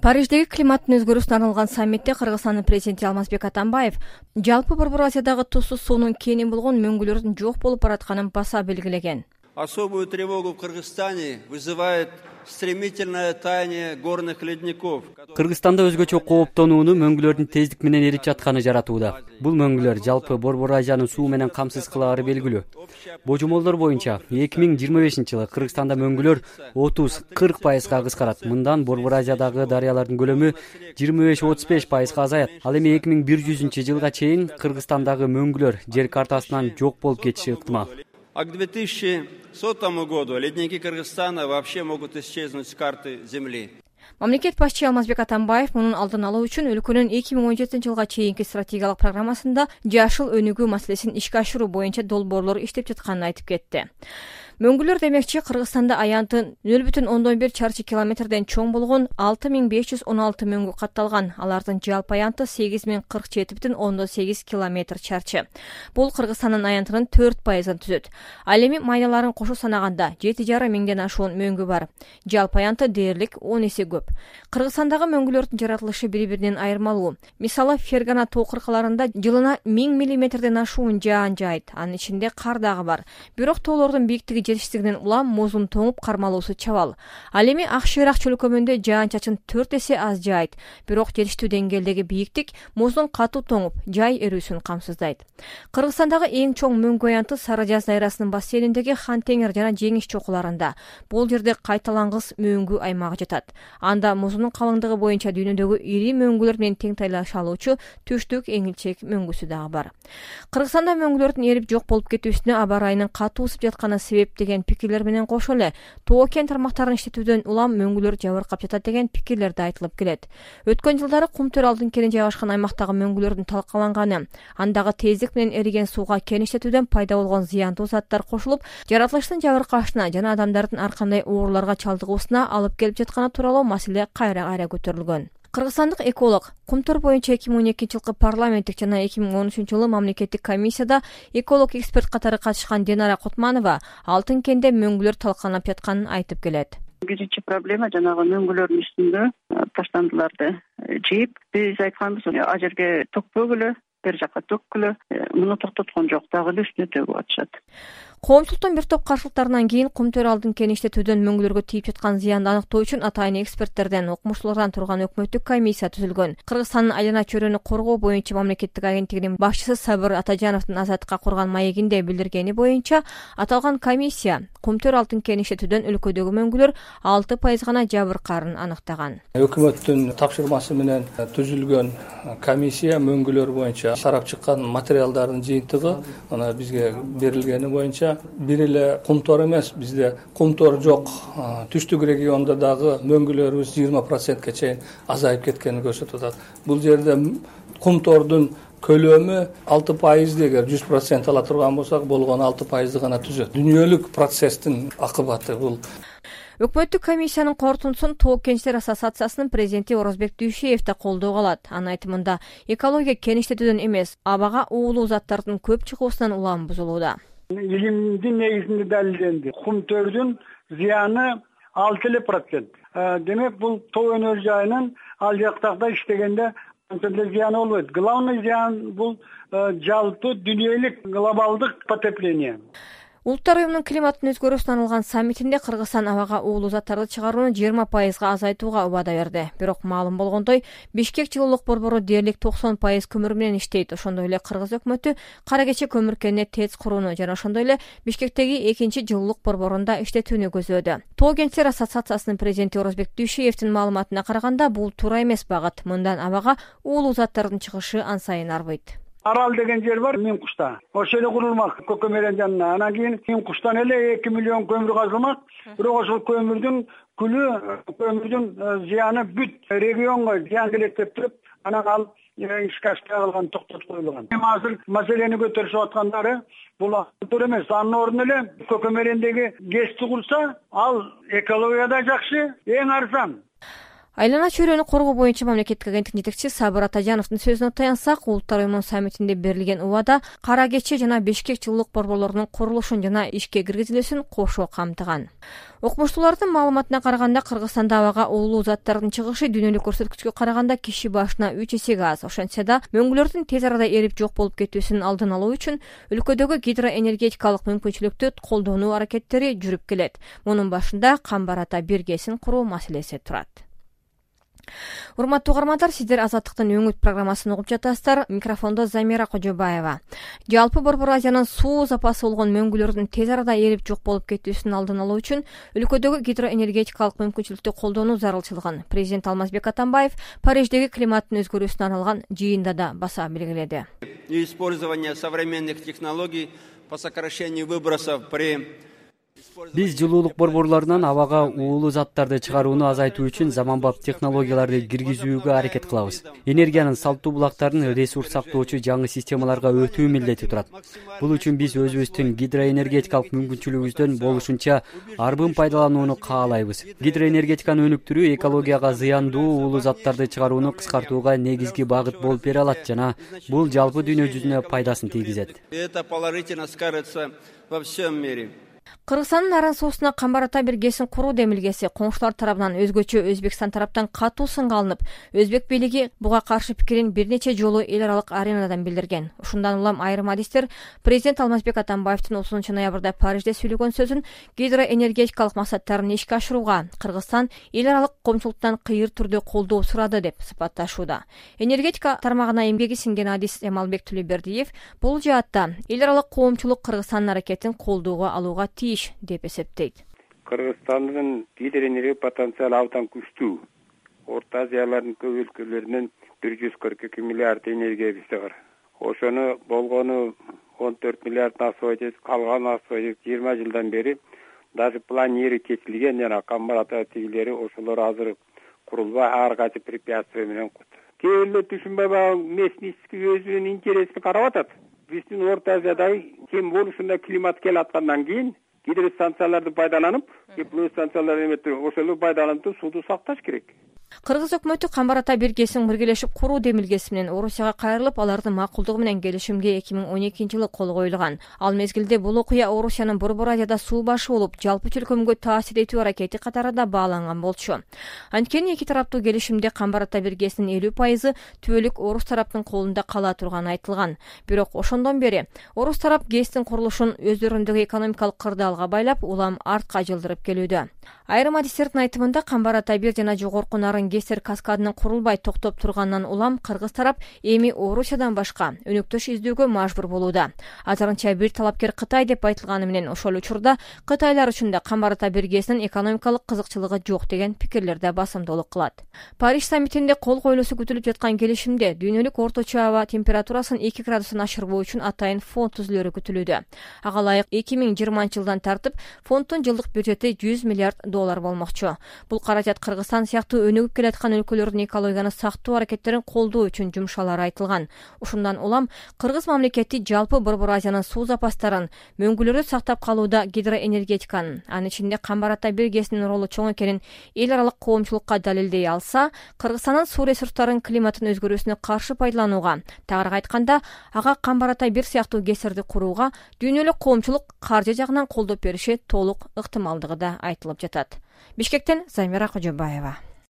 Париждеги климаттын өзгөрүүсүнө арналган саммитте Кыргызстандын президенти Алмазбек Атамбаев жалпы Борбор Азиядагы тузсуз суунун кенен болгон мөңгүлөрдүн жок болуп баратканын баса белгилеген. Особую тревогу в Кыргызстане вызывает стремительное таяние горных ледников. Кыргызстанда өзгөчө кооптонууну мөңгүлөрдүн тездик менен эрип жатканы жаратууда. Бул мөңгүлөр жалпы Борбор Азияны суу менен камсыз кылагары белгилүү. Божомолдор боюнча 2025-жылы Кыргызстанда мөңгүлөр 30-40%га кыскарат. Мындан Борбор Азиядагы дарыялардын көлөмү 25-35%га азаят. Ал эми 2100-жылга чейин Кыргызстандагы мөңгүлөр жер картасынан жок болуп кетиши ыктымал. А к 2100 году ледники Кыргызстана вообще могут исчезнуть с карты Земли. Мамлекет башчы Алмазбек Атамбаев мунун алдын алуу үчүн өлкөнүн 2017-жылга чейинки стратегиялык программасында жашыл өнүгүү маселесин ишке ашыруу боюнча долбоорлор иштеп жатканын айтып кетти. Мөңгүлөр демекчи Кыргызстанда аянты 0,1 чарчы километрден чоң болгон 6516 мөңгү катталган. Алардын жалпы аянты 8047,8 километр чарчы. Бул Кыргызстандын аянтынын 4%ын түзөт. Ал эми майналарын кошо санаганда 7,5 миңден ашуун мөңгү бар. Жалпы аянты дээрлик 10 эсе көп. Кыргызстандагы мөңгүлөрдүн жаратылышы бири-биринен айырмалуу. Мисалы, Фергана тоо кыркаларында жылына 1000 миллиметрден ашуун жаан жаайт. Анын ичинде кар дагы бар. Бирок тоолордун бийиктиги жетиштигинен улам муздун тоңуп кармалуусу чабал. Ал эми Ак Шыйрак чөлкөмүндө жаан-чачын 4 эсе аз жаайт. Бирок жетиштүү деңгээлдеги бийиктик муздун катуу тоңуп, жай эрүүсүн камсыздайт. Кыргызстандагы эң чоң мөңгү аянты Сары Жаз дайрасынын бассейниндеги Хан-Теңир жана Жеңиш чокуларында. Бул жерде кайталангыс мөңгү аймагы жатат. Анда муздун калыңдыгы боюнча дүйнөдөгү ири мөңгүлөр менен тең тайлаша алуучу Түштүк Эңилчек мөңгүсү дагы бар. Кыргызстанда мөңгүлөрдүн эрип жок болуп кетүүсүнө аба ырайынын катуу ысып жатканы себеп деген пикирлер менен кошо эле тоо кен тармактарын иштетүүдөн улам мөңгүлөр жабыркап жатат деген пикирлер да айтылып келет. Өткөн жылдары Кумтөр алдын кени жайгашкан аймактагы мөңгүлөрдүн талкаланганы, андагы тездик менен эриген сууга кен иштетүүдөн пайда болгон зыяндуу заттар кошулуп, жаратылыштын жабыркашына жана адамдардын ар кандай ооруларга чалдыгуусуна алып келип жатканы тууралуу маселе кайра-кайра көтөрүлгөн. Кыргызстандык эколог Кумтөр боюнча 2012-жылкы парламенттик жана 2013-жылы мамлекеттик комиссияда эколог эксперт катары катышкан Динара Кутманова алтын кенде мөңгүлөр талкаланып жатканын айтып келет. Биринчи проблема жанагы мөңгүлөрдүн үстүндө таштандыларды жыйып, биз айтканбыз, а жерге төкпөгүлө, бер жака төккүлө, муну токтоткон жок, дагы эле үстүнө төгүп атышат. Коомчулуктун бир топ каршылыктарынан кийин Кумтөр алдын кен иштетүүдөн мөңгүлөргө тийип жаткан зыянды аныктоо үчүн атайын эксперттерден, окумуштуулардан турган өкмөттүк комиссия түзүлгөн. Кыргызстандын айлана чөйрөнү коргоо боюнча мамлекеттик агенттигинин башчысы Сабыр Атажановдун Азаттыкка курган маегинде билдиргени боюнча, аталган комиссия Кумтөр алтын кен иштетүүдөн өлкөдөгү мөңгүлөр 6% гана жабыркаарын аныктаган. Өкмөттүн тапшырмасы менен түзүлгөн комиссия мөңгүлөр боюнча сарап чыккан материалдардын жыйынтыгы ана бизге берилгени боюнча бир эле Кумтор эмес, бизде Кумтор жок түштүк региондо дагы мөңгүлөрүбүз 20%ке чейин азайып кеткенин көрсөтүп атат. Бул жерде Кумтордун көлөмү 6%, эгер 100% ала турган болсок, болгон 6% гана түзөт. Дүйнөлүк процесстин акыбаты бул. Өкмөттүк комиссиянын корутундусун Тоо кенчтер ассоциациясынын президенти Орозбек Дүйшеев да колдоого алат. Анын айтымында, экология кен иштетүүдөн эмес, абага уулуу заттардын көп чыгуусунан улам бузулууда. Илимдин негизинде далилденди. Кумтөрдүн зыяны 6%. Демек, бул тоо өнөр жайынын ал жактагы иштегенде анчалык зыяны болбойт. Главный зыян бул жалпы дүйнөлүк глобалдык потепление. Улуттар уюмунун климаттын өзгөрүүсүнө арналган саммитинде Кыргызстан абага уулуу заттарды чыгарууну 20%га азайтууга убада берди. Бирок маалым болгондой, Бишкек жылуулук борбору дээрлик 90% көмүр менен иштейт. Ошондой эле Кыргыз өкмөтү Кара Кече көмүр кеніне ТЭЦ курууну жана ошондой эле Бишкектеги 2-жылуулук борборунда иштетүүнү көзөдө. Тоо кенчтер ассоциациясынын президенти Орозбек Дүйшеевдин маалыматына караганда, бул туура эмес багыт. Мындан абага уулуу заттардын чыгышы ансайын арбыйт. Арал деген жер бар, Миң Кушта. Ошол эле курулмак көкөмөрөн жанына. Анан кийин Миң Куштан эле 2 миллион көмүр казылмак. Бирок ошол көмүрдүн күлү, көмүрдүн зыяны бүт регионго зыян келет деп туруп, анан ал ишке ашпай калган, токтотуп коюлган. Азыр маселени көтөрүшүп аткандары бул туура эмес. Анын ордуна эле көкөмөрөндөгү ГЭСти курса, ал экологияда жакшы, эң арзан. Айлана чөйрөнү коргоо боюнча мамлекеттик агенттиктин жетекчиси Сабыр Атажановдун сөзүнө таянсак, Улуттар уюмунун саммитинде берилген убада Кара Кече жана Бишкек жылуулук борборлорунун курулушун жана ишке киргизилүүсүн кошо камтыган. Окумуштуулардын маалыматына караганда, Кыргызстанда абага уулуу заттардын чыгышы дүйнөлүк көрсөткүчкө караганда киши башына 3 эсеге аз. Ошентсе да, мөңгүлөрдүн тез арада эрип жок болуп кетүүсүнүн алдын алуу үчүн өлкөдөгү гидроэнергетикалык мүмкүнчүлүктү колдонуу аракеттери жүрүп келет. Мунун башында Камбар Ата биргесин куруу маселеси турат. Урматтуу угармандар, сиздер Азаттыктын өңүт программасын угуп жатасыздар. Микрофондо Замира Кожобаева. Жалпы Борбор Азиянын суу запасы болгон мөңгүлөрдүн тез арада эрип жок болуп кетүүсүнүн алдын алуу үчүн өлкөдөгү гидроэнергетикалык мүмкүнчүлүктү колдонуу зарылчылыгын президент Алмазбек Атамбаев Париждеги климаттын өзгөрүүсүнө арналган жыйында да баса белгиледи. Использование современных технологий по сокращению выбросов при Биз жылуулук борборлорунан абага уулуу заттарды чыгарууну азайтуу үчүн заманбап технологияларды киргизүүгө аракет кылабыз. Энергиянын салттуу булактарын ресурс сактоочу жаңы системаларга өтүү милдети турат. Бул үчүн биз өзүбүздүн гидроэнергетикалык мүмкүнчүлүгүбүздөн болушунча арбын пайдаланууну каалайбыз. Гидроэнергетиканы өнүктүрүү экологияга зыяндуу уулуу заттарды чыгарууну кыскартууга негизги багыт болуп бере алат жана бул жалпы дүйнө жүзүнө пайдасын тийгизет. Это положительно скажется во всем мире. Кыргызстандын Аран суусуна Камбар Ата биргесин куруу демилгеси коңшулар тарабынан өзгөчө Өзбекстан тараптан катуу сынга алынып, Өзбек бийлиги буга каршы пикирин бир нече жолу эл аралык аренадан билдирген. Ушундан улам айрым адистер президент Алмазбек Атамбаевдин 30 ноябрда Парижде сүйлөгөн сөзүн гидроэнергетикалык максаттарын ишке ашырууга Кыргызстан эл аралык коомчулуктан кыйыр түрдө колдоо сурады деп сыпатташууда. Энергетика тармагына эмгеги сиңген адис Эмалбек Төлөбердиев бул жаатта эл аралык коомчулук Кыргызстандын аракетин колдоого алууга тийиш деп эсептейт. Кыргызстандын гидроэнергия потенциалы абдан күчтүү. Орто Азиялардын көп өлкөлөрүнөн 142 миллиард энергия бизде бар. Ошону болгону 14 миллиард асып, калган асып 20 жылдан бери даже планери чечилген жана Камбар Ата тигилери ошолор азыр курулбай ар кайсы препятствия менен кээ бирөө түшүнбөй местный өзүнүн интересин карап атат. Биздин Орто Азиядагы кем болушунда климат келаткандан кийин гидростанцияларды пайдаланып, тепловой станцияларды эметип, ошолорду пайдаланып сууду сакташ керек. Кыргыз өкмөтү Камбар Ата биргесин биргелешип куруу демилгеси менен Орусияга кайрылып, алардын макулдугу менен келишимге 2012-жылы кол коюлган. Ал мезгилде бул окуя Орусиянын Борбор Азияда суу башы болуп, жалпы чөлкөмгө таасир этүү аракети катары да бааланган болчу. Анткени эки тараптуу келишимде Камбар Ата биргесинин 50% түбөлүк Орус тараптын колунда кала турганы айтылган. Бирок ошондон бери Орус тарап ГЭСтин курулушун өздөрүндөгү экономикалык кырдаалга байлап, улам артка жылдырып келүүдө. Айрым адистердин айтымында Камбар Ата 1 жана жогорку нарын ГЭСтер каскадынын курулбай токтоп турганынан улам Кыргыз тарап эми Орусиядан башка өнөктөш издөөгө мажбур болууда. Азырынча бир талапкер Кытай деп айтылганы менен ошол учурда кытайлар үчүн да Камбар Ата биргесинин экономикалык кызыкчылыгы жок деген пикирлер да басымдуулук кылат. Париж саммитинде кол коюлуусу күтүлүп жаткан келишимде дүйнөлүк орточо аба температурасын 2 градустан ашырбоо үчүн атайын фонд түзүлөрү күтүлүүдө. Ага ылайык 2020-жылдан тартып фонддун жылдык бюджети $100 миллиард болмокчу. Бул каражат Кыргызстан сыяктуу өнүгүп келаткан өлкөлөрдүн экологияны сактоо аракеттерин колдоо үчүн жумшалары айтылган. Ушундан улам Кыргыз мамлекети жалпы Борбор Азиянын суу запастарын, мөңгүлөрдү сактап калууда гидроэнергетиканын, анын ичинде Камбар Ата биргесинин ролу чоң экенин эл аралык коомчулукка далилдей алса, Кыргызстандын суу ресурстарын климаттын өзгөрүүсүнө каршы пайдаланууга, тагыраак айтканда, ага Камбар Ата бир сыяктуу ГЭСтерди курууга дүйнөлүк коомчулук каржы жагынан колдоп бериши толук ыктымалдыгы да айтылып жатат. Бишкектен Замира Кожобаева.